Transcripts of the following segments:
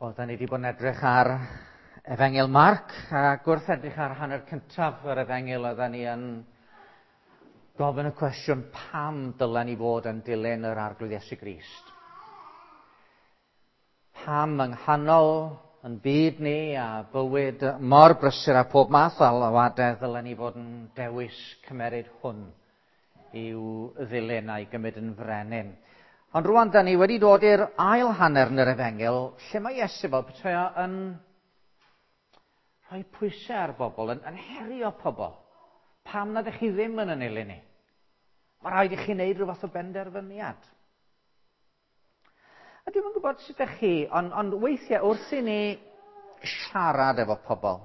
Wel, da ni wedi bod yn edrych ar Efengyl Marc, ac wrth edrych ar hanner cyntaf yr Efengyl, oedden ni yn gofyn y cwestiwn pam dylen ni fod yn dilyn yr Arglwydd Iesu Grist. Pam yng nghanol yn byd ni a bywyd mor brysur a pob math o alwadau ddylen ni fod yn dewis cymeryd hwn i'w ddilyn a'i gymryd yn frenin. Ond rwan, da ni wedi dod i'r ail hanner yn yr efengyl, lle mae Iesu fel petai o yn rhoi pwysau ar bobl, yn, yn herio pobl. Pam nad ydych chi ddim yn yn ilyn ni? Mae rhaid i chi wneud rhyw fath o benderfyniad. A dwi'm yn gwybod sut ydych chi, ond, ond weithiau wrth i ni siarad efo pobl,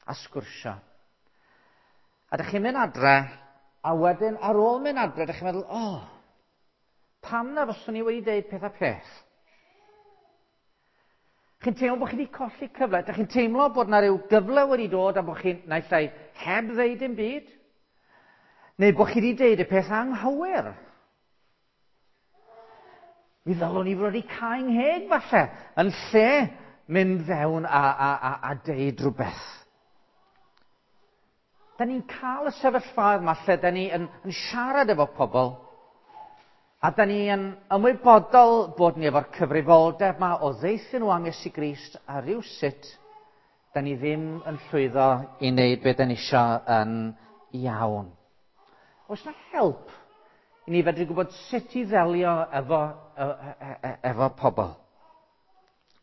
a sgwrsio. A dych chi'n mynd adre, a wedyn ar ôl mynd adre, dych chi'n meddwl, o, oh, pam na fyswn i wedi deud peth a peth? Chi'n teimlo bod chi wedi colli cyfle. Dych chi'n teimlo bod na ryw gyfle wedi dod a bod chi'n naill ai heb ddeud dim byd, neu bod chi wedi deud y peth anghywir. Mi ddylwn i fod wedi cau ngheg falle, yn lle mynd fewn a, a, a, a deud rhywbeth. Da ni'n cael y sefyllfaoedd yma lle da ni yn, yn siarad efo pobl, a da ni yn ymwybodol bod ni efo'r cyfrifoldeb yma o ddeithio nhw am Iesu Grist a rhywsut da ni ddim yn llwyddo i wneud beth da ni eisiau yn iawn. Oes na help i ni fedru gwybod sut i ddelio efo, e, e, e, efo pobl?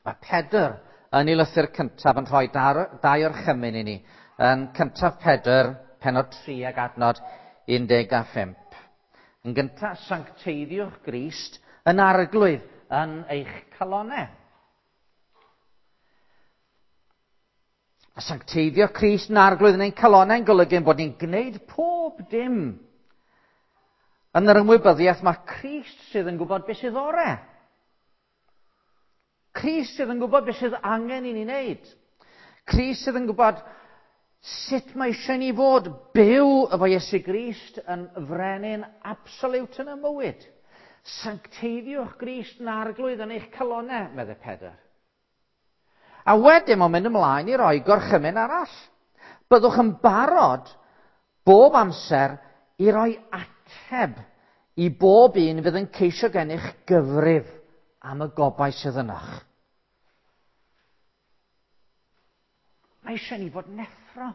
Mae Pedr yn ei lythyr cyntaf yn rhoi dar, dau orchymyn i ni. Yn cyntaf Pedr, penod 3 ag adnod 15. Yn gyntaf, sancteiddiwch Grist yn arglwydd yn eich calonau. A sancteiddio Crist yn arglwydd yn ein calonnau'n golygu ein bod ni'n gwneud pob dim yn yr ymwybyddiaeth mae Crist sydd yn gwybod beth sydd orau. Crist sydd yn gwybod beth sydd angen i ni wneud. Crist sydd yn gwybod sut mae eisiau ni fod byw efo Iesu Grist yn frenin absoliwt yn y mywyd. Sancteiddiwch Grist yn arglwydd yn eich calonnau, meddai Pedr. A wedyn mae'n mynd ymlaen i roi gorchymyn arall. Byddwch yn barod bob amser i roi ateb i bob un fydd yn ceisio gennych gyfrif am y gobaith sydd ynoch. Mae eisiau ni fod neffro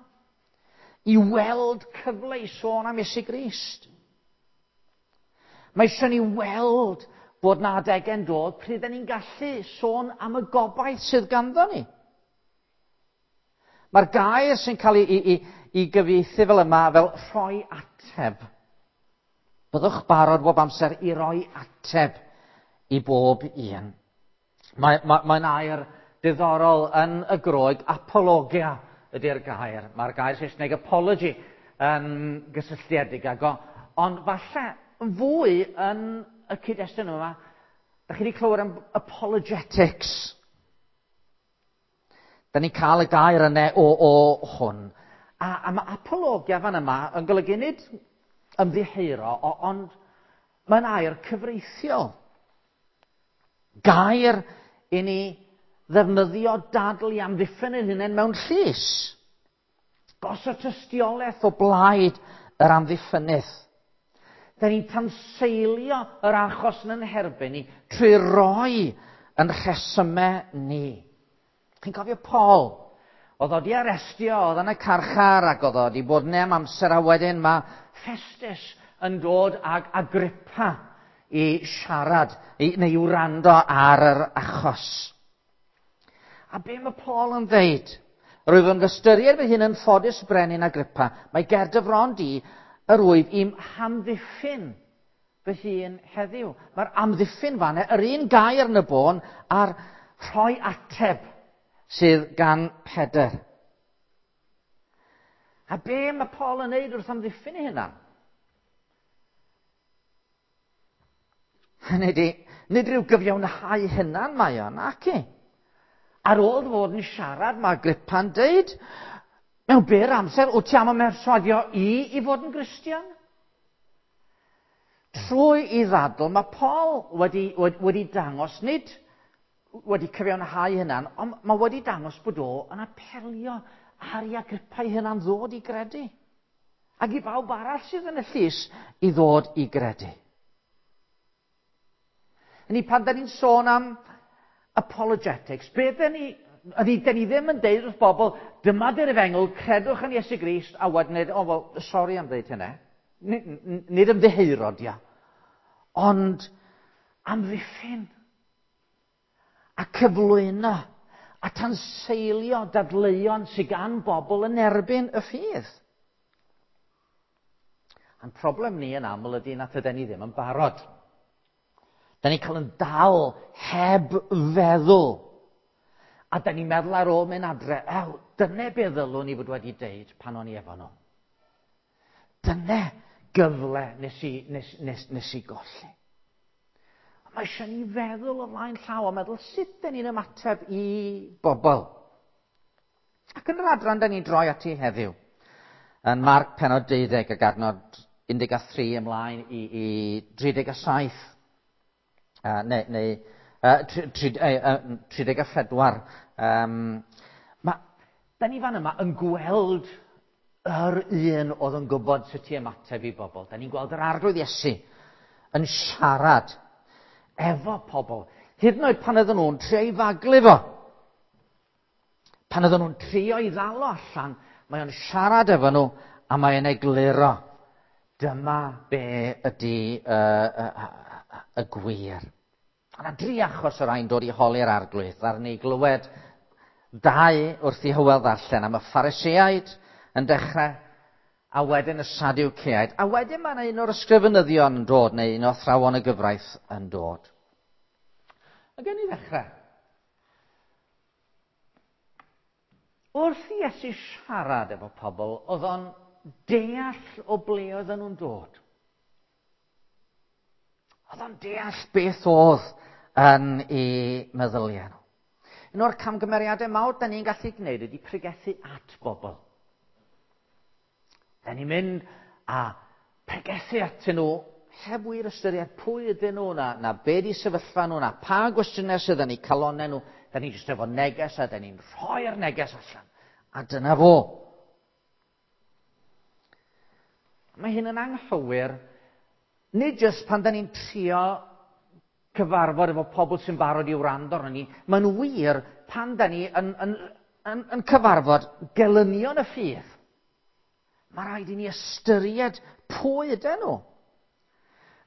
i weld cyfle i sôn am Iesu Grist. Mae eisiau ni weld bod na adegau'n dod pryd da ni'n gallu sôn am y gobaith sydd ganddo ni. Mae'r gair sy'n cael ei, ei, ei, ei gyfieithu fel yma fel rhoi ateb. Byddwch barod bob amser i roi ateb i bob un. Mae'n mae, mae air diddorol yn y Groeg, apologia ydy'r gair. Mae'r gair Saesneg apology yn gysylltiedig ag o. Ond falle fwy yn y cyd-destun yma, da chi wedi clywed am apologetics. Da ni'n cael y gair yna o, o hwn. A, a mae apologia fan yma yn golygu nid ymddiheuro, ond mae'n air cyfreithiol. Gair i ni ddefnyddio dadl i amddiffyn ein hunain mewn llys. Gosod tystiolaeth o blaid yr amddiffynydd. Da ni'n tanseilio yr achos yn ein herbyn ni trwy roi yn rhesymau ni. Chi'n cofio Paul? Oedd o di arestio, oedd yn y carchar ac oedd o di bod yna am amser a wedyn mae Festus yn dod ag Agrippa i siarad, i, neu i wrando ar yr achos. A be mae Paul yn ddeud? Rwyf yn ystyried fy hun yn ffodus brenin Agrippa. Mae ger dy fron di yr wyf i'm hamddiffyn fy hun heddiw. Mae'r amddiffyn fan yr un gair yn y bôn a'r rhoi ateb sydd gan Pedr. A be mae Paul yn neud wrth amddiffyn ei hunan? Hynny di, nid rhyw gyfiawnhau hunan mae o, nac i. Ar ôl fod yn siarad, mae Agrippa'n deud, mewn byr amser, wyt ti am ymherswadio i i fod yn Gristion? Trwy i ddadl, mae Paul wedi, wedi, wedi dangos, nid wedi cyfiawnhau hynna'n, ond mae wedi dangos bod o yn apelio ar i Agrippa ei hunan ddod i gredu. Ac i bawb arall sydd yn y llys i ddod i gredu. Ni pan da ni'n sôn am apologetics, be da ni, ydy, da ni ddim yn deud wrth bobl, dyma dy'r efengl, credwch yn Iesu Grist, a wedyn, o, oh, wel, sori am ddeud hynna. Nid ymddiheuro, dia. Ond amddiffyn a cyflwyno a tanseilio dadleuon sydd gan bobl yn erbyn y ffydd. A'n problem ni yn aml ydy nad ydyn ni ddim yn barod. Da ni'n cael yn dal heb feddwl. A da ni'n meddwl ar ôl mynd adre, ew, dyna be ddylwn i fod wedi deud pan o'n i efo nhw. Dyna gyfle nes i, nes, nes, nes i golli. Mae eisiau ni feddwl o flaen llaw a meddwl sut dyn ni'n ymateb i bobl. Ac yn yr adran da ni'n droi ati heddiw, yn Marc penod 12 ac adnod 13 ymlaen i, i 37, uh, neu, neu uh, 34, um, ma, da ni fan yma yn gweld yr un oedd yn gwybod sut i ymateb i bobl. Da ni'n gweld yr arglwydd Iesu yn siarad efo pobl. Hyd yn oed pan oedden nhw'n trio i faglu fo. Pan oedden nhw'n trio i ddal o allan, mae o'n siarad efo nhw a mae o'n egluro. Dyma be ydy uh, uh, y gwir. Yna dri achos o rai'n dod i holi'r arglwydd. Ar ni glywed dau wrth i Hywel ddarllen am y Phariseaid yn dechrau, a wedyn y Sadwceaid. A wedyn mae yna un o'r ysgrifenyddion yn dod, neu un o athrawon y gyfraith yn dod. A gen i ddechrau. Wrth i Iesu siarad efo pobl, oedd o'n deall o ble oedden nhw'n dod. Oedd o'n deall beth oedd yn ei meddyliau nhw. Un o'r camgymeriadau mawr da ni'n gallu gwneud ydy pregethu at bobl. Da ni'n mynd a pregethu atyn nhw heb wir ystyried pwy ydyn nhw, na, na be di sefyllfa nhw, na pa gwestiynau sydd yn eu calonau nhw. Da ni'n jyst efo neges a da ni'n rhoi'r neges allan. A dyna fo. Mae hyn yn anghywir, nid jyst pan da ni'n trio cyfarfod efo pobl sy'n barod i wrando arno ni, mae'n wir pan da ni yn, yn, yn, yn cyfarfod gelynion y ffydd. Mae rhaid i ni ystyried pwy ydyn nhw.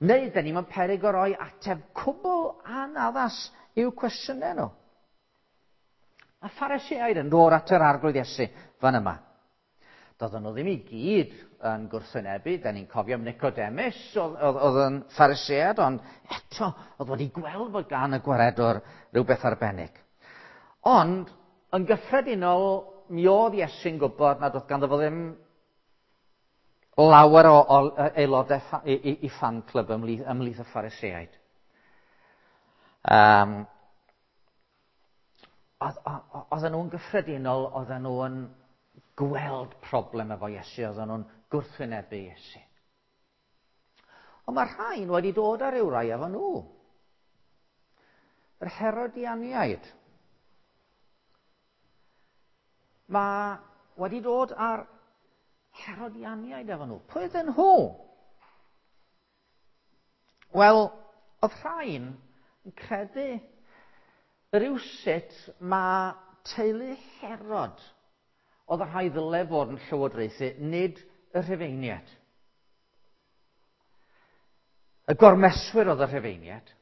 Neu da ni mewn peryg o roi ateb cwbl anaddas i'w cwestiynau nhw. A Phariseaid yn dod at yr arglwydd Iesu fan yma. Doedden nhw ddim i gyd yn gwrthwynebu. Da ni'n cofio am Nicodemus, oedd, oedd, oedd yn Pharisead, ond eto, oedd wedi gweld bod gan y gwaredwr rhywbeth arbennig. Ond, yn gyffredinol, mi oedd Iesu'n gwybod nad oedd ganddo fo ddim lawer o, o aelodau i, i, i fan club ymhlith, ymhlith y Phariseaid. Um, oedden nhw'n gyffredinol, oedden nhw'n gweld problem efo Iesu, oedden nhw'n gwrthwynebu Iesu. Ond mae rhain wedi dod ar ryw rai efo nhw. Yr Herodianiaid. Mae wedi dod ar Herodianiaid efo nhw. Pwy ydyn nhw? Wel, oedd rhain yn credu rywsut mae teulu Herod oedd y rhai ddyle fod yn llywodraethu, nid y Rhufeiniaid. Y gormeswyr oedd y Rhufeiniaid,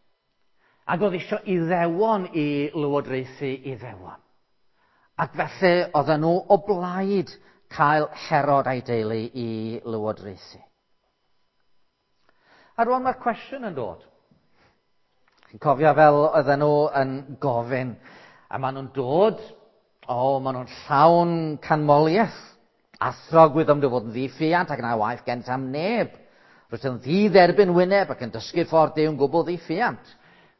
ac oedd eisiau Iddewon i lywodraethu Iddewon. Ac felly oedden nhw o blaid cael Herod a'i deulu i lywodraethu. A rwan mae'r cwestiwn yn dod. Chi'n cofio fel oedden nhw yn gofyn, a maen nhw'n dod, o, oh, maen nhw'n llawn canmoliaeth. Athro gwyddom dy fod yn ddiffiant ac na waith gent am neb. Rwyt yn ddi-dderbyn wyneb ac yn dysgu ffordd Duw'n gwbl ddiffiant.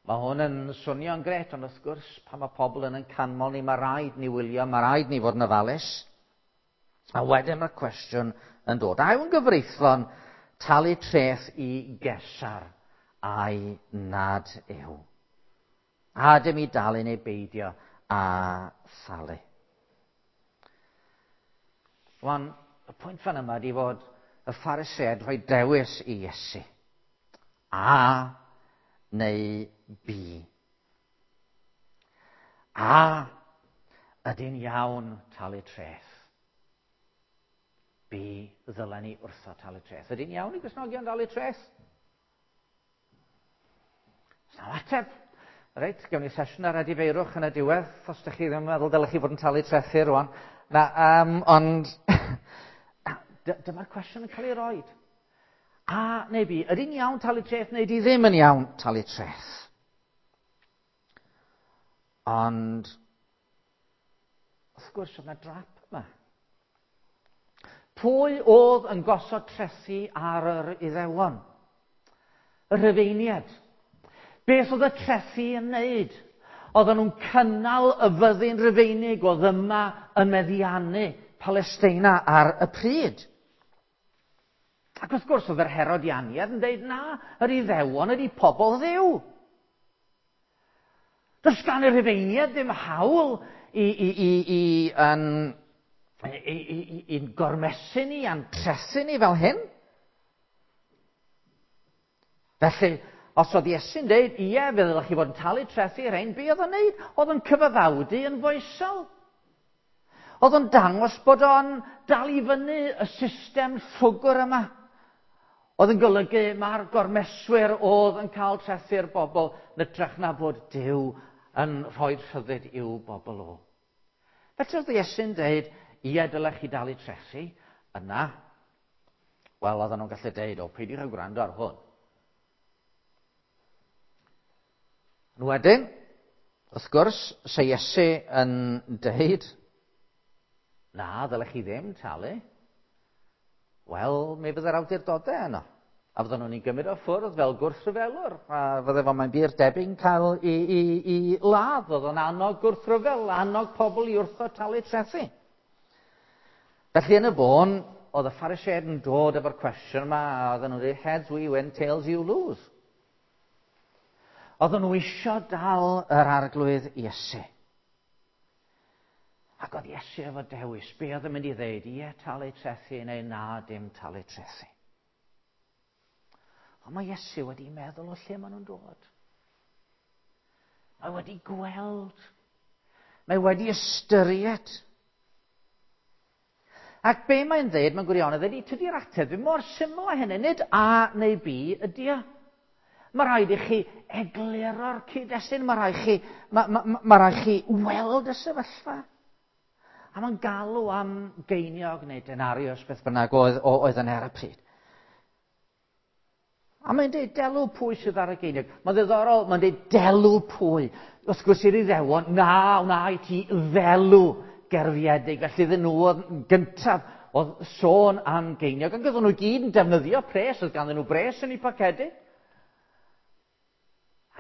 Mae hwn yn swnio'n gret, ond wrth gwrs, pan mae pobl yn yn canmol ni, mae rhaid ni wylio, mae rhaid ni fod yn ofalus. A wedyn mae'r cwestiwn yn dod. A yw'n gyfreithlon talu treth i Gesar ai nad yw. A dim i dalu neu beidio a thalu. Rwan, y pwynt fan yma ydy fod y Phariseaid rhoi dewis i Iesu. A neu B. A ydy'n iawn talu treth? B ddylen ni wrtho talu treth. Ydy'n iawn i Gristnogion dalu treth? Sa'n ateb. Reit, gewn ni sesiwn ar edifeirwch yn y diwedd, os ydych chi ddim yn meddwl dylech chi fod yn talu trethu rwan. Na, ond dyma'r cwestiwn yn cael ei roed. A neu B, ydy'n iawn talu treth neu ydy ddim yn iawn talu treth? Ond, wrth gwrs, oedd yna drap yma. Pwy oedd yn gosod trethi ar yr Iddewon? Y Rhufeiniaid. Beth oedd y trethi yn wneud? Oedden nhw'n cynnal y fyddin Rufeinig oedd yma yn meddiannu Palesteina ar y pryd. Ac wrth gwrs, oedd yr Herodianiaid yn dweud, na, yr Iddewon ydy pobl Dduw. Does gan y Rhufeiniaid ddim hawl i'n gormesu ni a'n tresu ni fel hyn. Felly, os oedd Iesu'n dweud, ie, fe ddylech chi fod yn talu trethi i'r rhain, be oedd o'n neud? Oedd o'n cyfaddawdu yn foesol. Oedd o'n dangos bod o'n dal i fyny y system llwgr yma. Oedd yn golygu mae'r gormeswyr oedd yn cael trethu'r bobl yn hytrach na bod Duw yn rhoi rhyddid i'w bobl o. Felly oedd Iesu'n dweud, ie, dylech chi dalu trethi, yna, wel, oedden nhw'n gallu dweud, o, peidiwch â gwrando ar hwn. Yn wedyn, wrth gwrs, se Iesu yn dweud, na, ddylech chi ddim talu, wel, mi fydde'r awdurdodau yno. A fydden nhw'n ei gymryd o ffwrdd fel gwrthryfelwr. A fydde fo, mae'n bur debyg, yn cael i ladd. Oedd o'n annog gwrthryfel, annog pobl i wrthod talu trethi. Felly yn y bôn, oedd y Phariseaid yn dod efo'r cwestiwn yma, a oedden nhw'n dweud, heads we win, tails you lose. Oedden nhw isio dal yr Arglwydd Iesu. Ac oedd Iesu efo dewis, be oedd yn mynd i ddeud, ie, talu trethi neu na, dim talu trethi. Ond mae Iesu wedi meddwl o lle maen nhw'n dod. Mae wedi gweld. Mae wedi ystyried. Ac be mae'n dweud mewn gwirionedd ydy, tydi'r ateb ddim mor syml â hynny, nid A neu B ydy o. Mae rhaid i chi egluro'r cyd-destun, mae rhaid chi weld y sefyllfa. A mae'n galw am geiniog neu denarius, beth bynnag oedd yn ar y pryd. A mae'n dweud delw pwy sydd ar y geiniog. Mae'n ddiddorol, mae'n dweud delw pwy. Wrth gwrs i'r Iddewon, na, wna i ti ddelw gerfiedig. Felly iddyn nhw oedd gyntaf oedd sôn am geiniog. Ac oedden nhw gyd yn defnyddio pres, oedd ganddyn nhw bres yn eu pocedi.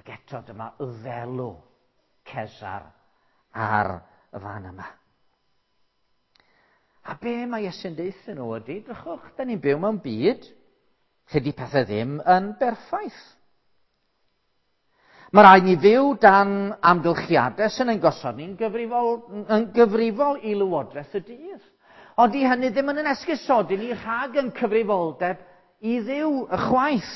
Ac eto dyma ddelw Cesar ar y fan yma. A be mae Iesu'n deuthyn nhw ydy, drychwch, da ni'n byw mewn byd lle di pethau ddim yn berffaith. Mae rhaid ni fyw dan amgylchiadau sy'n ein gosod ni'n gyfrifol i lywodraeth y dydd. Ond di hynny ddim yn esgusodi ni rhag yn cyfrifoldeb i Dduw y chwaith.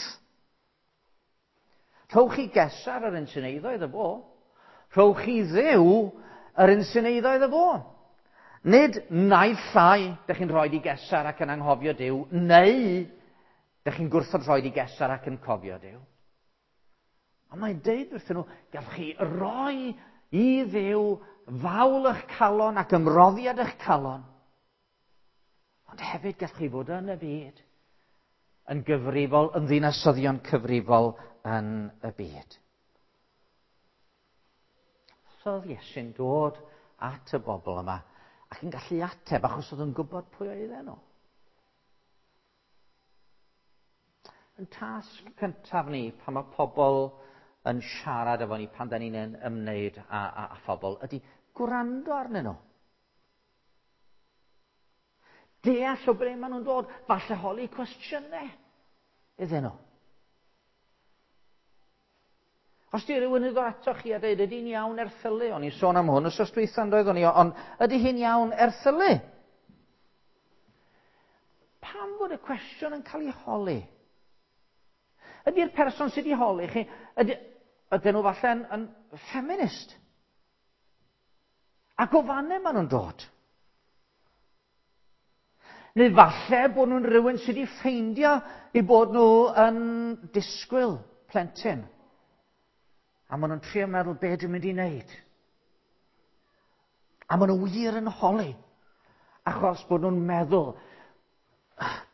Rhowch chi Gesar yr un sy'n eiddo iddo fo. Rhowch chi Dduw yr un sy'n eiddo iddo fo. Nid naill llai dych chi'n rhoi i Gesar ac yn anghofio Duw, neu dych chi'n gwrthod rhoi i Gesar ac yn cofio Duw. Ond mae'n deud wrthyn nhw, gallwch chi roi i Dduw fawl eich calon ac ymroddiad eich calon. Ond hefyd gallwch chi fod yn y byd, yn gyfrifol, yn ddinasyddion cyfrifol yn y byd. So oedd Iesu'n dod at y bobl yma ac yn gallu ateb achos oedd yn gwybod pwy oedden nhw. Yn tasg cyntaf ni, pan mae pobl yn siarad efo ni, pan da ni'n ymwneud â phobl, ydy gwrando arnyn nhw. Deall o ble maen nhw'n dod, falle holi cwestiynau. iddyn nhw. Os di rhywun yn dod ato chi a dweud, ydy'n iawn erthylu? O'n i'n sôn am hwn wsos dwytha yn doeddwn i, ond ydy hi'n iawn erthylu? Pam fod y cwestiwn yn cael ei holi? Ydy'r person sydd wedi holi chi, ydy, ydyn nhw falle yn feminist? Ac o fanne maen nhw'n dod. Neu falle bod nhw'n rhywun sydd wedi ffeindio i bod nhw yn disgwyl plentyn. A maen nhw'n trio meddwl be dwi'n mynd i wneud. A maen nhw wir yn holi. Achos bod nhw'n meddwl,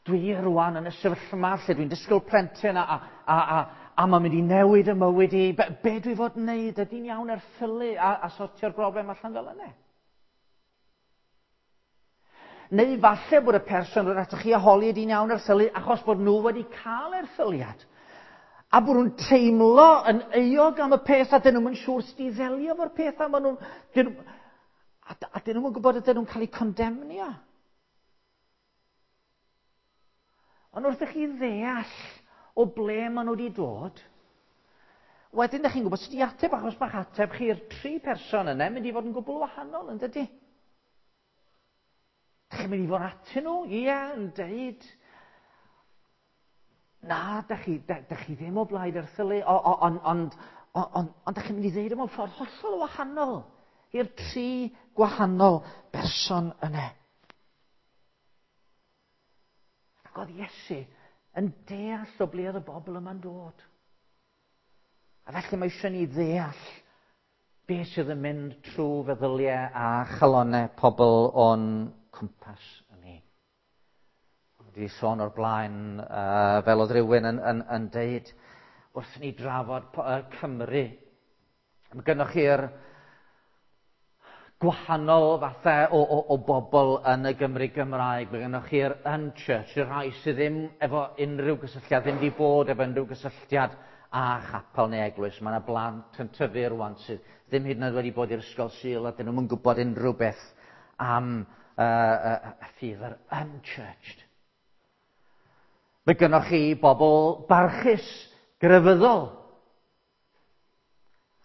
dwi rwan yn y sefyllfa lle dwi'n disgwyl plentyn a, a, a, a, a mae'n mynd i newid y mywyd i. Be, be dwi fod yn wneud? Ydy'n iawn erthylu a, a sortio'r broblem allan fel yna? Neu falle bod y person yn atoch chi a holi ydy'n iawn erthylu achos bod nhw wedi cael erthyliad. A bod nhw'n teimlo yn euog am y peth a dyn nhw'n siŵr sut i ddelio efo'r peth a maen nhw'n... Dyn, a, a dyn nhw'n gwybod ydyn nhw'n cael eu condemnio. Ond wrth i chi ddeall o ble maen nhw wedi dod, wedyn ydych chi'n gwybod sut i ateb, achos mae'ch ateb chi'r tri person yna mynd i fod yn gwbl wahanol, yn dydy? Dych chi'n mynd i fod atyn nhw? Ie, yn deud, na, dych chi, dych chi ddim o blaid erthylu, ond on, on, on, on, dych chi'n mynd i ddeud mewn ffordd hollol wahanol i'r tri gwahanol berson yna. Ac oedd Iesu yn deall o ble oedd y bobl yma'n dod. A felly mae eisiau ni ddeall beth sydd yn mynd trwy feddyliau a chalonau pobl o'n cwmpas ni. Wedi sôn o'r blaen, uh, fel oedd rhywun yn, yn, yn deud, wrth ni drafod Cymru, mae gennych chi'r gwahanol fathau o, o, o bobl yn y Gymru Gymraeg. Mae gennych chi'r unchurch, y rhai sydd ddim efo unrhyw gysylltiad, ddim wedi bod efo unrhyw gysylltiad â chapel neu eglwys. Mae yna blant yn tyfu rwan sydd ddim hyd yn oed wedi bod i'r ysgol Sul a dyn nhw'n gwybod unrhyw beth am uh, uh, y ffydd yr unchurched. Mae gennych chi bobl barchus, grefyddol.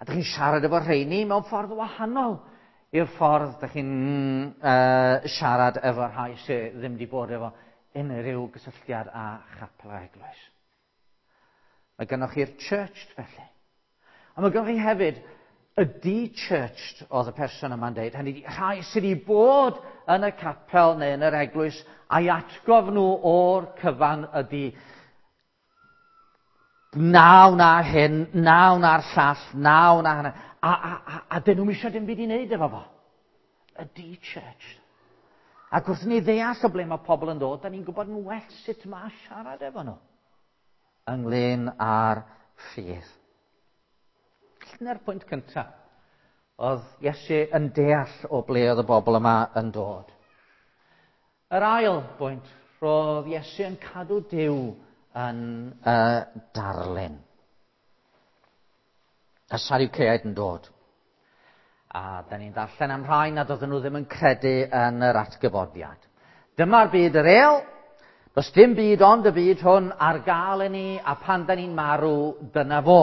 A dych chi'n siarad efo rheini mewn ffordd wahanol i'r ffordd dych chi'n uh, siarad efo rhai sydd ddim wedi bod efo unrhyw gysylltiad â chapel a eglwys. Mae gennych chi'r churched felly. A mae gennych chi hefyd y de-churched oedd y person yma'n deud. Hynny ydi, rhai sydd wedi bod yn y capel neu yn yr eglwys a'i atgof nhw o'r cyfan ydy na wna hyn, na wna'r llall, na wna hynny. A, a, a, a dyn nhw'n eisiau dim byd i wneud efo fo. Y de-churched. Ac wrth ni ddeall o ble mae pobl yn dod, da ni'n gwybod yn well sut mae siarad efo nhw ynglyn â'r ffydd. Dyna'r pwynt cyntaf. Oedd Iesu yn deall o ble oedd y bobl yma yn dod. Yr ail bwynt, roedd Iesu yn cadw Duw yn uh, darlun. Y Sadwceaid yn dod. A da ni'n darllen am rhai nad oedden nhw ddim yn credu yn yr atgyfodiad. Dyma'r byd yr el, does dim byd ond y byd hwn ar gael i ni, a pan da ni'n marw, dyna fo.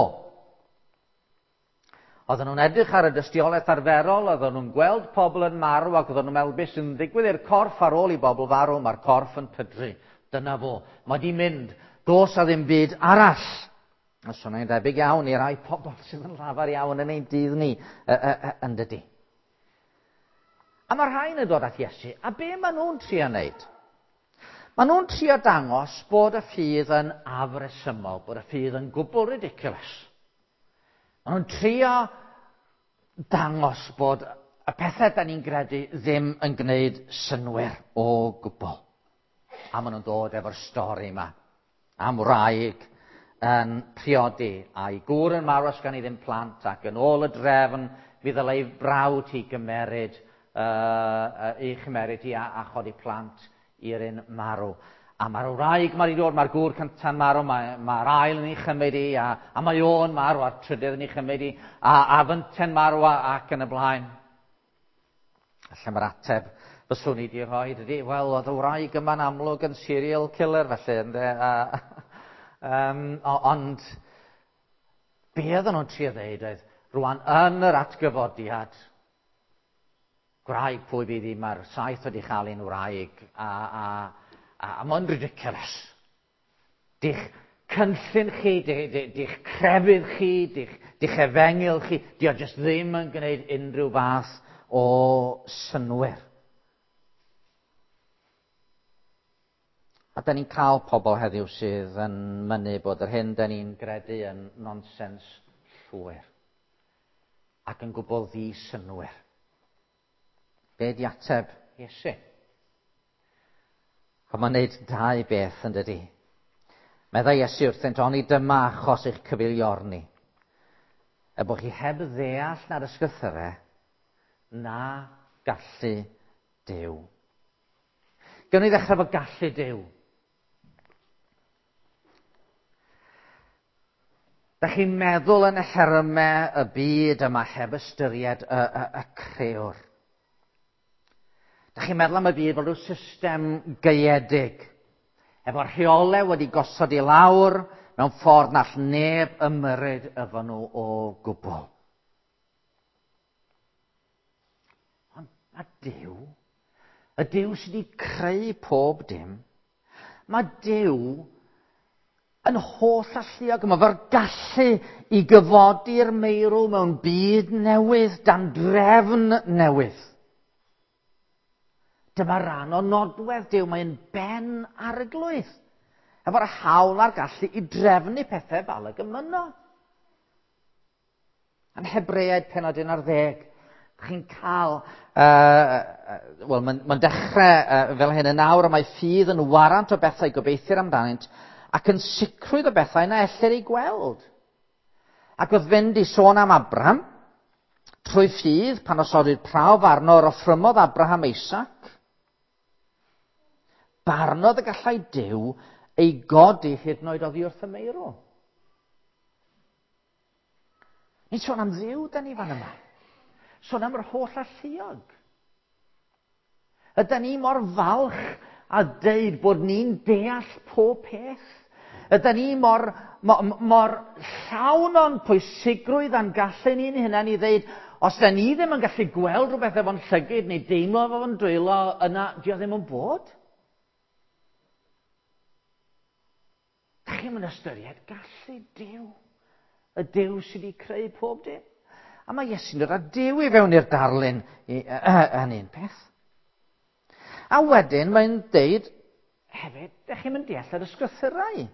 Oedden nhw'n edrych ar y dystiolaeth arferol, oedden nhw'n gweld pobl yn marw ac oedden nhw'n meddwl beth sy'n ddigwydd i'r corff ar ôl i bobl farw, mae'r corff yn pydru. Dyna fo. Mae di mynd. Dos a ddim byd arall. A swnio'n debyg iawn i rai pobl sydd yn llafar iawn yn ein dydd ni, yn dydy. A mae rhain yn dod at Iesu, a be maen nhw'n trio wneud? Maen nhw'n trio dangos bod y ffydd yn afresymol, bod y ffydd yn gwbl ridiculous. Maen nhw'n trio dangos bod y pethau da ni'n gredu ddim yn gwneud synwyr o gwbl. A maen nhw'n dod efo'r stori yma am wraig yn priodi a'i gŵr yn marw os gan i ddim plant ac yn ôl y drefn mi ddylai brawd hi gymeryd, uh, ei chymeryd hi a, a chodi plant i'r un marw. A mae'r wraig mae'n dod, mae'r gŵr cynta'n marw, mae'r mae ail yn ei chymryd i, a, a mae o'n marw, a'r trydydd yn ei chymryd i, a, a fynten marw a, ac yn y blaen. Allan mae'r ateb fyswn i wedi rhoi, dydy, wel, oedd y wraig yma'n amlwg yn serial killer, felly, ynde, a, Ond be oedden nhw'n trio ddeud oedd, rwan yn yr atgyfodiad, gwraig pwy fydd hi, mae'r 7 wedi chael un wraig, a mae'n ridiculous. Dych cynllun chi, dych crefydd chi, dych efengyl chi, di o jyst ddim yn gwneud unrhyw fath o synnwyr. A da ni'n cael pobl heddiw sydd yn mynnu bod yr hyn da ni'n gredu yn nonsens llwyr ac yn gwbl ddi-synnwyr. Be di ateb Iesu? A mae'n gwneud dau beth yn dydi. Meddai Iesu wrthynt, oni dyma achos eich cyfeiliorni. Er bod chi heb ddeall na'r ysgrythyrau, na gallu Duw. Gawn ni ddechrau efo gallu Duw. Da chi'n meddwl yn y termau y byd yma heb ystyried y crëwr. Da chi'n meddwl am y byd fel rhyw system gaeedig, efo rheolau wedi gosod i lawr mewn ffordd na all neb ymyrryd efo nhw o gwbl. Ond mae Duw, y Duw sydd wedi creu pob dim, mae Duw yn holl alluog. Mae fe'r gallu i gyfodi'r meirw mewn byd newydd, dan drefn newydd. Dyma ran o nodwedd Duw, mae'n ben arglwydd. Efo'r hawl a'r gallu i drefnu pethau fel y gymyno. Yn Hebreaid pennod 11, chi'n cael, wel, mae'n dechrau fel hyn yn awr, y mae ffydd yn warant o bethau gobeithir amdanynt ac yn sicrwydd o bethau na ellir ei gweld. Ac wrth fynd i sôn am Abraham, trwy ffydd, pan osodwyd prawf arno, yr offrymodd Abraham Isaac, barnodd y gallai Duw ei godi hyd yn oed oddi wrth y meirw. Ni'n sôn am Dduw, da ni fan yma. Sôn am yr holl alluog. Ydy ni mor falch a deud bod ni'n deall pob peth? Ydy ni mor llawn o'n pwysigrwydd a'n gallu ni'n hunain i ddeud, os da ni ddim yn gallu gweld rhywbeth efo'n llygyd neu deimlo efo'n dwylo, yna di o ddim yn bod? Da chi'm yn ystyried gallu Duw, y Duw sydd wedi creu pob dim. A mae Iesu'n dod â Duw i fewn i'r darlun yn un peth. A wedyn mae'n deud hefyd, da chi'm yn deall yr ysgrythurau.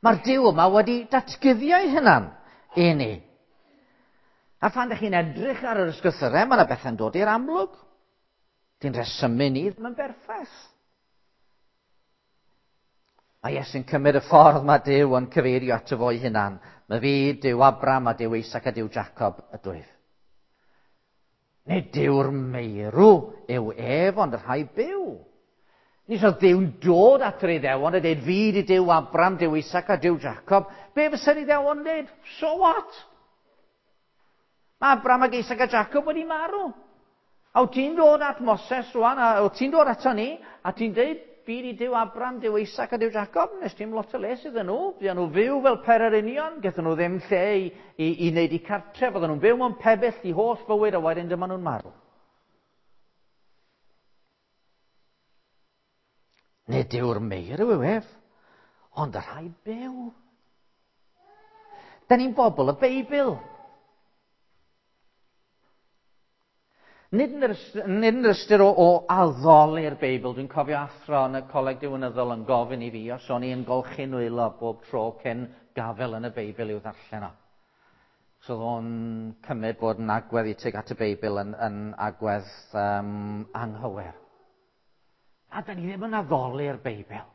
Mae'r Duw yma wedi datguddio ei hunan i ni. A phan da chi'n edrych ar yr ysgrythurau, mae yna bethau'n dod i'r amlwg. Di'n rhesymu ni ddim yn berffaith. Mae Iesu'n cymryd y ffordd mae Duw yn cyfeirio ato fo'i hunan. Mae fi, Duw Abraham a Duw Isaac a Duw Jacob ydwyf. Nid Duw'r meirw yw ef, ond y rhai byw. Nid oedd Duw'n dod at yr Iddewon a dweud, fi di Duw Abraham, Duw Isaac a Duw Jacob. Be fysa'r Iddewon yn dweud? So what? Mae Abraham ac Isaac a Jacob wedi marw. A wyt ti'n dod at Moses rwan, a wyt ti'n dod ato ni, a ti'n dweud, fi di Duw Abraham, Duw Isaac a Duw Jacob, nes ti'n lot o les iddyn nhw. Fuon nhw fyw fel pererinion, gaethon nhw ddim lle i wneud eu cartref, oedden nhw'n byw mewn pebyll i holl fywyd, a wedyn dyma nhw'n marw. Nid yw'r meirw yw ef, ond y rhai byw. Da ni'n bobl y Beibl. Nid yn yr ystyr o addoli'r Beibl. Dwi'n cofio athro yn y coleg diwinyddol yn gofyn i fi os o'n i yn golchi nwylo bob tro cyn gafel yn y Beibl i'w ddarllen o. So oedd o'n cymryd bod yn agwedd i tuag at y Beibl yn agwedd anghywir. A da ni ddim yn addoli'r Beibl.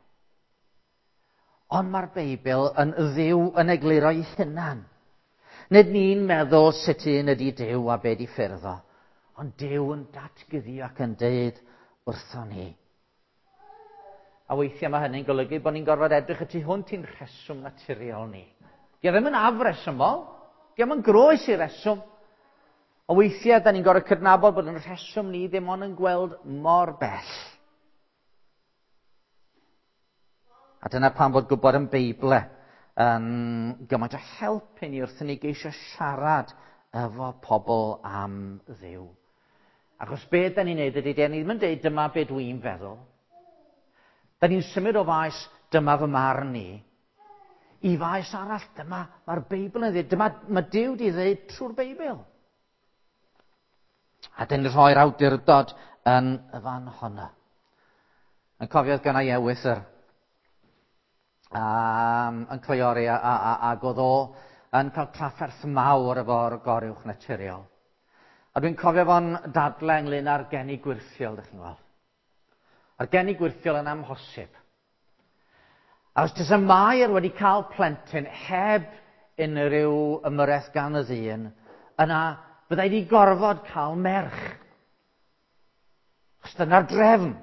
Ond mae'r Beibl yn Dduw yn egluro ei hunan. Nid ni'n meddwl sut un ydi Duw a be di ffyrdd o, ond Duw yn datguddio ac yn deud wrthon ni. A weithiau mae hynny'n golygu bod ni'n gorfod edrych y tu hwnt i'n rheswm naturiol ni. Di o ddim yn afresymol, di o'm yn groes i reswm. A weithiau da ni'n gorfod cydnabod bod yn rheswm ni ddim ond yn gweld mor bell. A dyna pam fod gwybod yn Beible yn gymaint o help i ni wrth i ni geisio siarad efo pobl am Dduw. Achos be da ni'n neud ydy, da ni ddim yn deud dyma be dwi'n feddwl. Da ni'n symud o faes dyma fy marn i, i faes arall, dyma mae'r Beibl yn dweud, dyma mae Duw di ddeud trwy'r Beibl. A dyn ni'n rhoi'r awdurdod yn y fan honno. Yn cofio oedd gynna i ewythr yn cleiori a, a, a, ac oedd o yn cael trafferth mawr efo'r goruwch naturiol. A dwi'n cofio fo'n dadle ynglyn â'r geni gwyrthiol, ydych chi'n gweld. A'r geni gwyrthiol yn amhosib. A os tysa Mair wedi cael plentyn heb unrhyw ymyrraeth gan y ddyn, yna byddai wedi gorfod cael merch. Achos dyna'r drefn.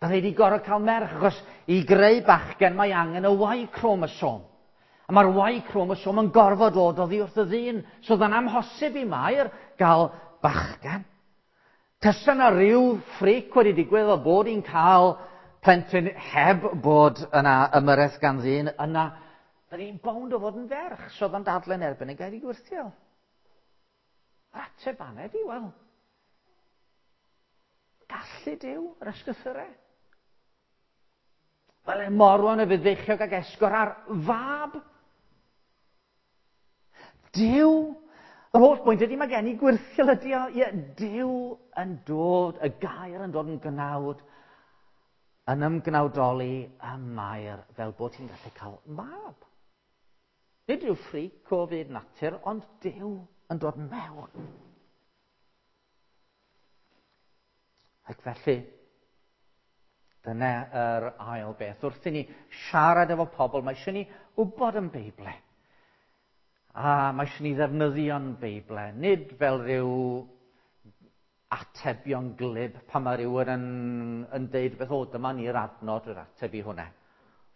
Byddai wedi gorfod cael merch, achos i greu bachgen mae angen y Y chromosome. A mae'r Y chromosome yn gorfod dod oddi wrth y ddyn, so oedd yn amhosib i Mair gael bachgen. Tysa yna rhyw ffric wedi digwydd o bod hi'n cael plentyn heb bod yna ymyrraeth gan ddyn, yna byddai hi'n bownd o fod yn ferch, so oedd o'n dadlen erbyn y gair i gwyrthiol. Yr ateb fanna ydi, wel, gallu Duw yr ysgrythurau. Wel, e morwan y fydd feichiog ag esgor ar fab. Duw, yr holl bwynt ydy mae gen i gwyrthiol ydy o, ie, Duw yn dod, y gair yn dod yn gnawd, yn ymgnawdoli y Mair fel bod hi'n gallu cael mab. Nid rhyw ffric o fyd natur, ond Duw yn dod mewn. Ac felly, dyna yr ail beth. Wrth i ni siarad efo pobl, mae eisiau ni wybod yn Beible. A mae eisiau ni ddefnyddio'n Beible, nid fel rhyw atebion glib pan mae rhywun yn, yn deud beth o, dyma ni'r adnod yr ateb i hwnna.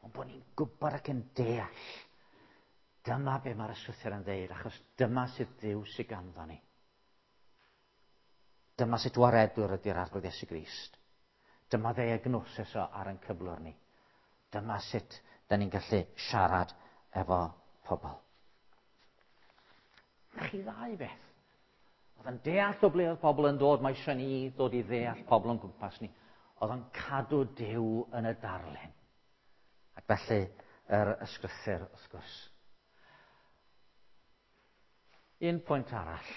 Ond bod ni'n gwybod ac yn deall. Dyma be mae'r ysgrythur yn ddeud, achos dyma sydd Duw sydd ganddo ni. Dyma sut waredwr ydy'r Arglwydd Iesu Grist. Dyma ddiagnosis o ar ein cyflwr ni. Dyma sut da ni'n gallu siarad efo pobl. Na chi ddau beth. Oedd yn deall o ble oedd pobl yn dod, mae eisiau ni ddod i ddeall pobl yn gwmpas ni. Oedd yn cadw Duw yn y darlun. Ac felly, yr ysgrythur, wrth gwrs. Un pwynt arall.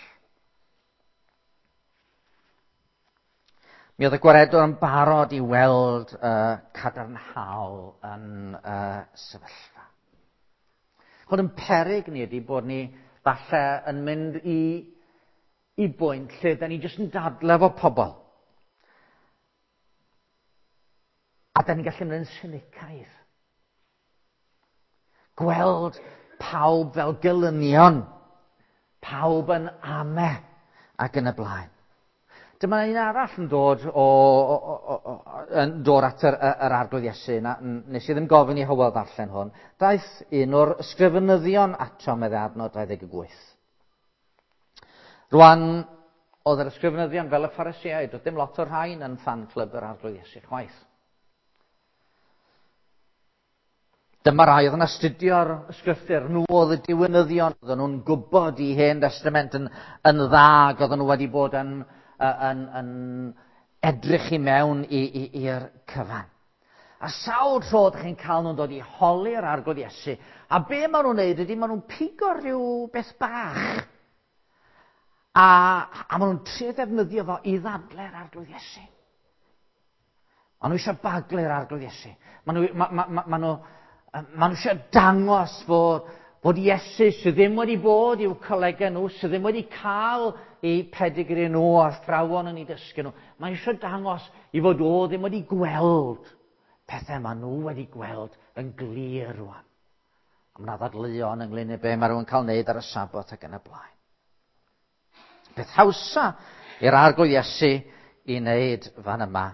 Mi oedd y gwaredwr yn barod i weld y cadarnhaol yn y sefyllfa. Chod yn peryg ni ydy bod ni falle yn mynd i, i bwynt lle da ni jyst yn dadle efo pobl. A da ni'n gallu mynd yn sinicaidd. Gweld pawb fel gelynion, pawb yn ame ac yn y blaen. Dyma un arall yn dod, o, o, o, o, yn dod at yr, yr Arglwydd Iesu. Na, nes i ddim gofyn i Hywel ddarllen hwn. Daeth un o'r ysgrifenyddion ato, meddai adnod 28. Rwan, oedd yr ysgrifenyddion fel y Pharisïaid, oedd dim lot o'r rhain yn fan club yr Arglwydd Iesu chwaith. Dyma rai oedd yn astudio'r ysgrythur, nhw oedd y diwinyddion, oedden nhw'n gwybod i Hen Testament yn, yn dda, ac oedden nhw wedi bod yn, yn, yn edrych i mewn i'r cyfan. A sawl tro ydych chi'n cael nhw'n dod i holi'r Arglwydd Iesu, a be maen nhw'n neud ydy maen nhw'n pigo rhyw beth bach. A, a maen nhw'n trio ddefnyddio fo i ddadle'r Arglwydd Iesu. Maen nhw eisiau baglu'r Arglwydd Iesu. Maen nhw, ma, ma, ma, ma nhw, ma nhw eisiau dangos fod, fod Iesu sydd ddim wedi bod i'w colegau nhw, sydd ddim wedi cael eu pedigri nhw a'r athrawon yn eu dysgu nhw. Mae eisiau dangos i fod o ddim wedi gweld pethau maen nhw wedi gweld yn glir rwan. A mae yna ddadleuon ynglyn â be mae rhywun cael wneud ar y Sabot ac yn y blaen. Peth hawsa i'r Arglwydd Iesu i wneud fan yma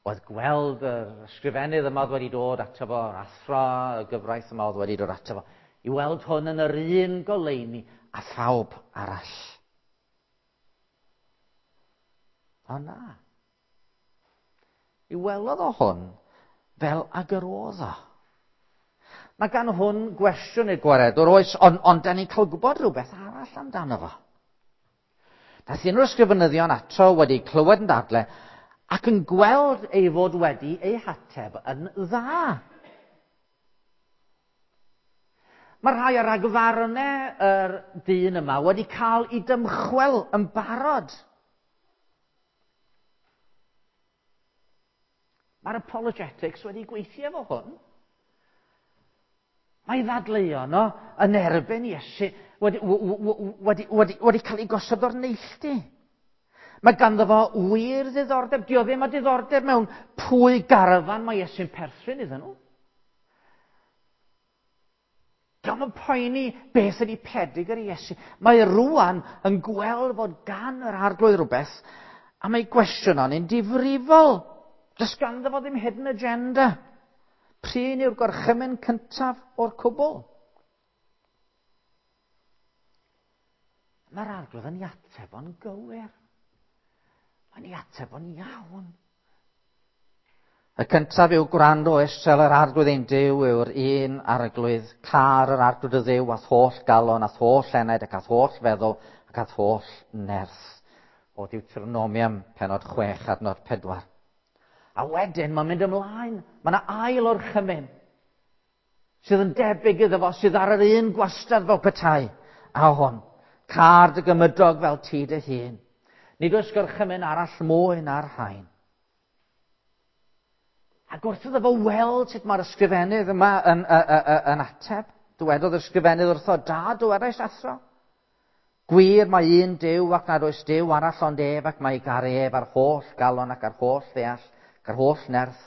oedd gweld yr ysgrifennydd yma oedd wedi dod ato fo, yr athro, y gyfraith yma oedd wedi dod ato fo, i weld hwn yn yr un goleuni a phawb arall. O na. I welodd o hwn fel ag yr oedd o. Mae gan hwn gwestiwn i'r gwaredwr, oes, ond on, da ni'n cael gwybod rhywbeth arall amdano fo. Daeth un o'r ysgrifenyddion ato wedi clywed yn dadle ac yn gweld ei fod wedi ei hateb yn dda. Mae rhai o ragfarnau yr dyn yma wedi cael ei dymchwel yn barod. Mae'r apologetics wedi gweithio efo hwn. Mae ddadleuon o yn erbyn Iesu wedi, wedi, wedi, wedi cael ei gosod o'r neilltu. Mae ganddo fo wir ddiddordeb. Dio ddim â diddordeb mewn pwy garafan mae Iesu'n perthyn iddyn nhw. Dio'm yn poeni beth ydy pedigr Iesu. Mae rwan yn gweld fod gan yr arglwydd rhywbeth a mae gwestiwn o'n un difrifol. Does ganddo fo ddim hidden agenda. Prin yw'r gorchymyn cyntaf o'r cwbl. Mae'r arglwydd yn ei ateb o'n gywir. Mae'n ei ateb o'n iawn. Y cyntaf yw gwrando Israel yr arglwydd ein Duw yw'r un arglwydd, car yr arglwydd y Dduw a'th holl galon, a'th holl enaid ac a'th holl feddwl ac a'th holl nerth. O Deuteronomium, penod 6, adnod 4. A wedyn mae'n mynd ymlaen. Mae yna ail orchymyn sydd yn debyg iddo fo, sydd ar yr un gwastad fel petai. A hwn, car dy gymydog fel ti dy hun. Nid oes gorchymyn arall mwy na'r rhain. Ac wrth iddo fo weld sut mae'r ysgrifennydd yma yn, yn, yn, yn ateb, dywedodd yr ysgrifennydd wrtho, da, dywedais athro. Gwir mae un Duw ac nad oes Duw arall ond ef ac mae garu ef ar holl galon ac ar holl ddeall ac ar holl nerth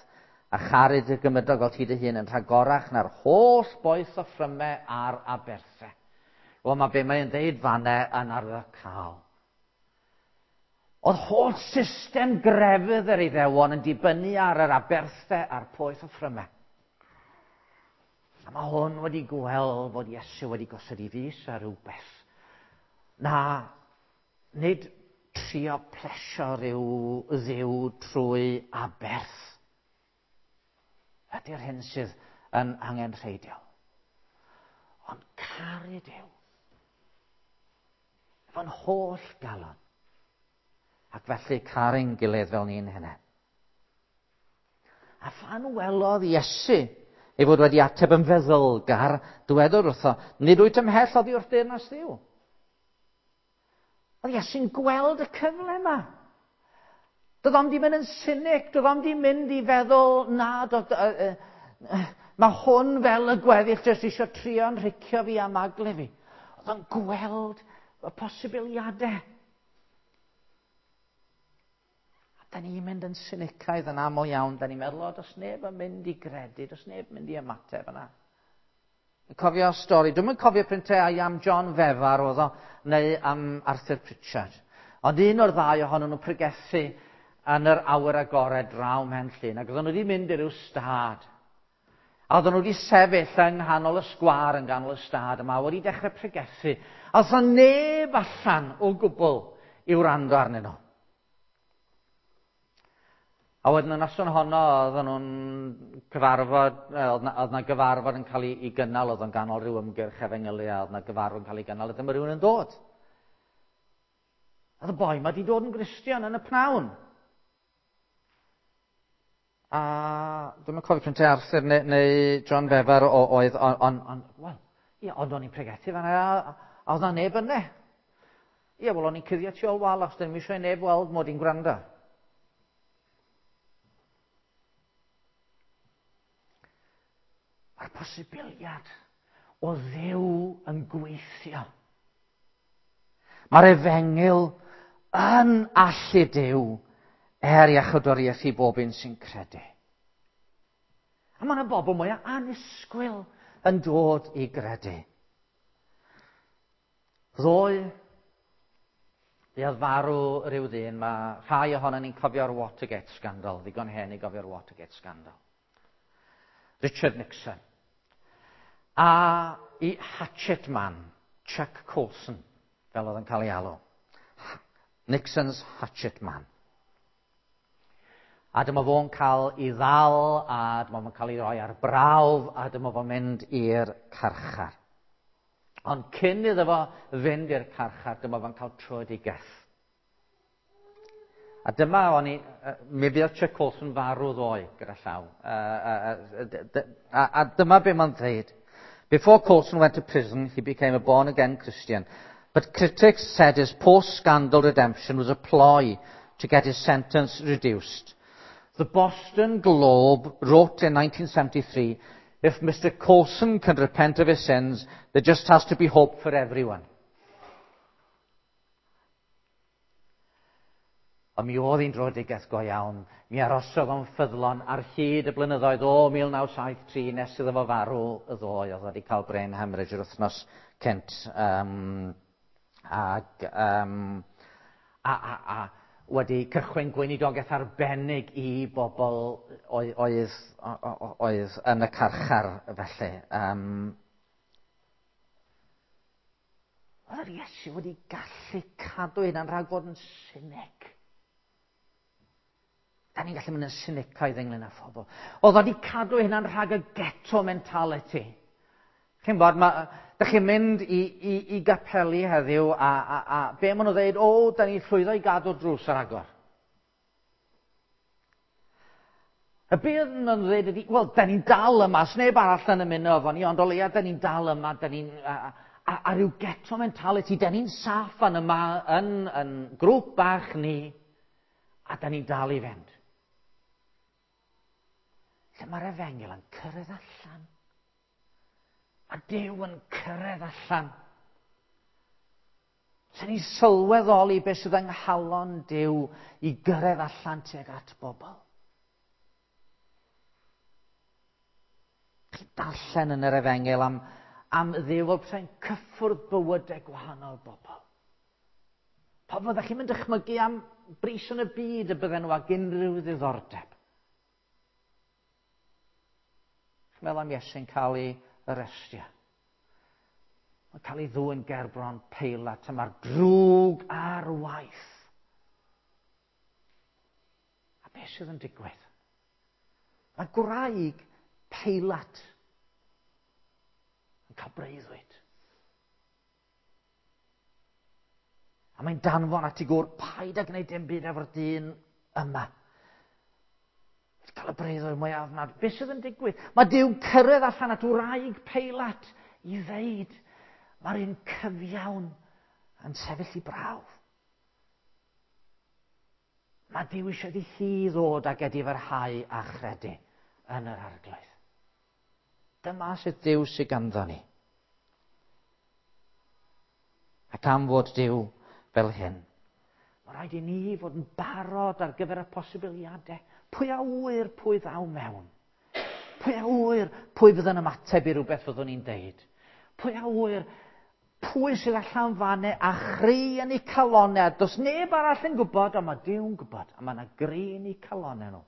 a charu dy gymydog fel ti dy hun yn rhagorach na'r holl boeth o ffrymau a'r aberthau. Wel, mae be mae'n dweud fanne yn arwyddocaol. Oedd holl system grefydd yr Iddewon yn dibynnu ar yr aberthau a'r poeth o ffrymau. A mae hwn wedi gweld fod Iesu wedi gosod i fus ar rhywbeth. Na, nid trio plesio rhyw ddiw trwy aberth. Ydy'r hyn sydd yn angenrheidiol. Ond caru Duw. Efo'n holl galon. Ac felly caru'n gilydd fel ni'n hynny. A phan welodd Iesu ei fod wedi ateb yn feddylgar, dywedodd wrtho, nid wyt ymhell oddi wrth deyrnas Dduw. Oedd Iesu'n gweld y cyfle yma. Doedd o'm di mynd yn cynic, doedd o'm di mynd i feddwl, na, doedd, uh, uh, mae hwn fel y gweddill jyst eisiau trio'n rhicio fi a magle fi. Oedd o'n gweld y posibiliadau. A da ni'n mynd yn sinicaidd yn aml iawn. Da ni'n meddwl, o, does neb yn mynd i gredu, does neb yn mynd i ymateb yna. Yn cofio stori, dwi'n yn cofio printiau am John Fefar oedd o, neu am Arthur Pritchard. Ond un o'r ddau ohonyn nhw'n pregethu yn yr awyr agored draw Mhen Llŷn, ac oedden nhw wedi mynd i ryw stad. A oedden nhw wedi sefyll yng nghanol y sgwâr yn ganol y stad yma, wedi dechrau pregethu. A oedd neb allan o gwbl i wrando arnyn nhw. A wedyn y noson honno, oedden nhw'n cyfarfod, oedd na, oedd na gyfarfod yn cael ei, ei gynnal, oedd o'n ganol rhyw ymgyrch efengylu, a oedd na gyfarfod yn cael ei gynnal, a dyma rhywun yn dod. Oedd y boi ma wedi dod yn Gristion yn y pnawn. A dwi'm yn cofio pryn Arthur neu, neu John Fefar oedd, ond, on, on, wel, ie, ond o'n i'n pregethu fan'na, a, a oedd na neb yna. Ie, wel, o'n i'n cuddio tu ôl wal, achos ddim eisiau neb weld mod i'n gwrando. Mae'r posibiliad o Dduw yn gweithio. Mae'r efengyl yn allu Duw er iachawdwriaeth i bob un sy'n credu. A mae yna bobl mwy annisgwyl yn dod i gredu. Ddoe, fuodd farw rhyw ddyn, mae rhai ohonon ni'n cofio'r Watergate scandal, ddigon hen i gofio'r Watergate scandal. Richard Nixon. A i Hatchet Man, Chuck Colson, fel oedd yn cael ei alw. Nixon's Hatchet Man. A dyma fo'n cael ei ddal, a dyma fo'n cael ei roi ar brawf, a dyma fo'n mynd i'r carchar. Ond cyn iddo fo fynd i'r carchar, dyma fo'n cael tröedigaeth. A dyma o'n i, mi fuodd Chuck Colson farw ddoe gyda llaw. A dyma be mae'n dweud. Before Colson went to prison, he became a born-again Christian. But critics said his post-scandal redemption was a ploy to get his sentence reduced. The Boston Globe wrote in 1973, if Mr. Colson can repent of his sins, there just has to be hope for everyone. Ond mi oedd hi'n dröedigaeth go iawn. Mi arosodd o'n ffyddlon ar hyd y blynyddoedd o 1973 nes iddo fo farw y ddoe. Oedd wedi cael brain hemorrhage yr wythnos cynt. A wedi cychwyn gweinidogaeth arbennig i bobl oedd yn y carchar felly. Oedd yr Iesu wedi gallu cadw hynna'n rhag bod yn cynic. Da ni'n gallu mynd yn sinicaidd ynglyn â phobl. Oedd wedi cadw hynna'n rhag y ghetto mentality. Chi'n bod, da chi'n mynd i gapeli heddiw a be maen nhw'n dweud, o, da ni'n llwyddo i gadw'r drws ar agor. A be maen nhw'n dweud ydy, wel, da ni'n dal yma, sneb arall yn ymuno efo ni, ond o leia da ni'n dal yma, da ni'n... A ryw ghetto mentality, da ni'n saff fan yma yn grŵp bach ni, a da ni'n dal i fynd. Lle mae'r efengyl yn cyrraedd allan. A Duw yn cyrraedd allan. Sy'n ni sylweddoli beth sydd yng nghalon Duw i gyrraedd allan tuag at bobl. Chi'n darllen yn yr efengyl am Dduw fel pe'n cyffwrdd bywydau gwahanol bobl. Pobl ydych chi'n mynd dychmygu am bris yn y byd y bydden nhw ag unrhyw ddiddordeb. Chi'n meddwl am Iesu'n cael ei arestio. Mae'n cael ei ddwyn gerbron Peilat a mae'r drwg ar waith. A beth sydd yn digwydd? Mae gwraig Peilat yn cael breuddwyd. A mae'n danfon at ei gŵr, paid â gwneud dim byd efo'r dyn yma. Cael y breuddwyd mwyaf ofnadwy. Beth sydd yn digwydd? Mae Duw cyrraedd allan at wraig Peilat i ddeud, mae'r un cyfiawn yn sefyll i brawf. Mae Duw eisiau iddi hi ddod ag edifarhau a chredu yn yr Arglwydd. Dyma sydd Duw sydd ganddo ni. Ac am fod Duw fel hyn, mae rhaid i ni fod yn barod ar gyfer y posibiliadau. Pwy a ŵyr pwy ddaw mewn? Pwy a ŵyr pwy fydd yn ymateb i rhywbeth fyddwn ni'n deud? Pwy a ŵyr pwy sydd allan fanne a chri yn eu calonau? Does neb arall yn gwybod, ond mae Duw'n gwybod, a mae yna gri yn eu calonau nhw.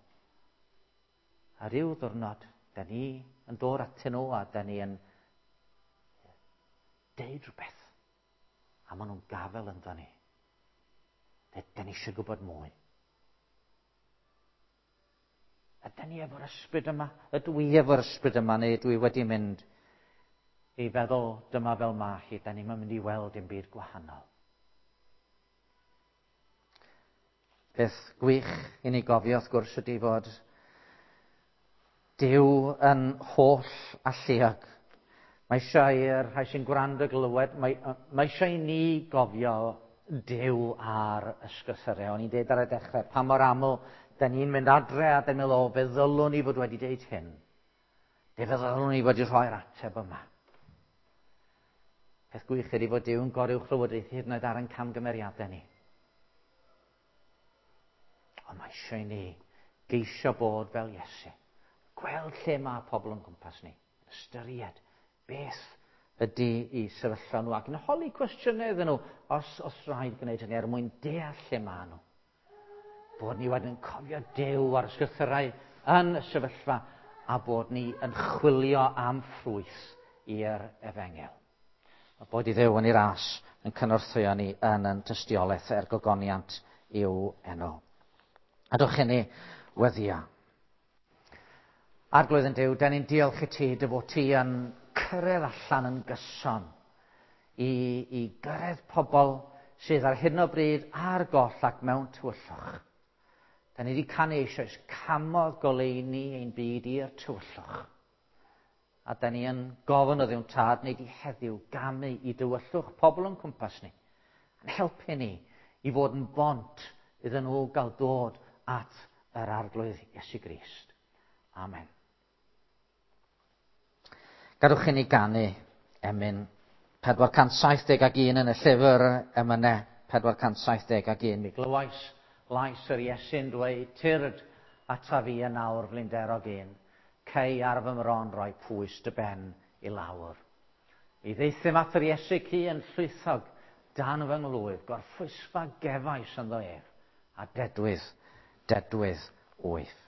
A ryw ddiwrnod, da ni yn dod atyn nhw a da ni yn deud rhywbeth. A maen nhw'n gafel ynddo ni. Da ni eisiau gwybod mwy. Ydyn ni efo'r ysbryd yma? Ydw i efo'r ysbryd yma neu ydw i wedi mynd i feddwl dyma fel ma hi, da ni'n mynd i weld dim byd gwahanol. Peth gwych i ni gofio wrth gwrs ydy fod Duw yn holl alluog. Mae eisiau i'r rhai sy'n gwrando glywed, mae eisiau i ni gofio Duw ar ysgrythurau. O'n i'n deud ar y dechrau, pa mor aml da ni'n mynd adre a da ni'n meddwl, o, fe ddylwn ni fod wedi deud hyn. Fe ddylwn ni fod wedi rhoi'r ateb yma. Peth gwych ydy fod Duw yn goruwchlywodraethu hyd yn oed ar ein camgymeriadau ni. Ond mae eisiau i ni geisio bod fel Iesu. Gweld lle mae pobl yn gwmpas ni. Ystyried beth ydy i sefyllfa nhw ac yn holi cwestiynau iddyn nhw os rhaid gwneud hynny er mwyn deall lle maen nhw. Bod ni wedyn yn cofio Duw a'r ysgrythurau yn y sefyllfa a bod ni yn chwilio am ffrwyth i'r efengyl. A bod i Dduw yn ei ras yn cynorthwyo ni yn tystiolaeth er gogoniant i'w enw. A dwch i ni Weddia. Arglwydd yn Duw, den ni'n diolch i ti dy fod ti yn cyrraedd allan yn gyson i, i gyrraedd pobl sydd ar hyn o bryd ar goll ac mewn tywyllwch. Da ni wedi canu eisoes, camodd goleuni ein byd i'r tywyllwch. A da ni yn gofyn o ddiwn tad neu di heddiw gamu i dywyllwch pobl o'n cwmpas ni. Yn helpu ni i fod yn bont iddyn nhw gael dod at yr arglwydd Iesu Grist. Amen. Gadwch i ni ganu emyn 471 yn y llyfr emynau 471. Mi glywais lais yr Iesu'n dweud, tyrd ata fi yn awr flinderog un, cei ar fy mron roi pwys dy ben i lawr. Mi ddeithim at yr Iesu cu yn llwythog dan fy nglwyf, gorffwysfa gefais ynddo ef, a dedwydd, dedwydd wyth.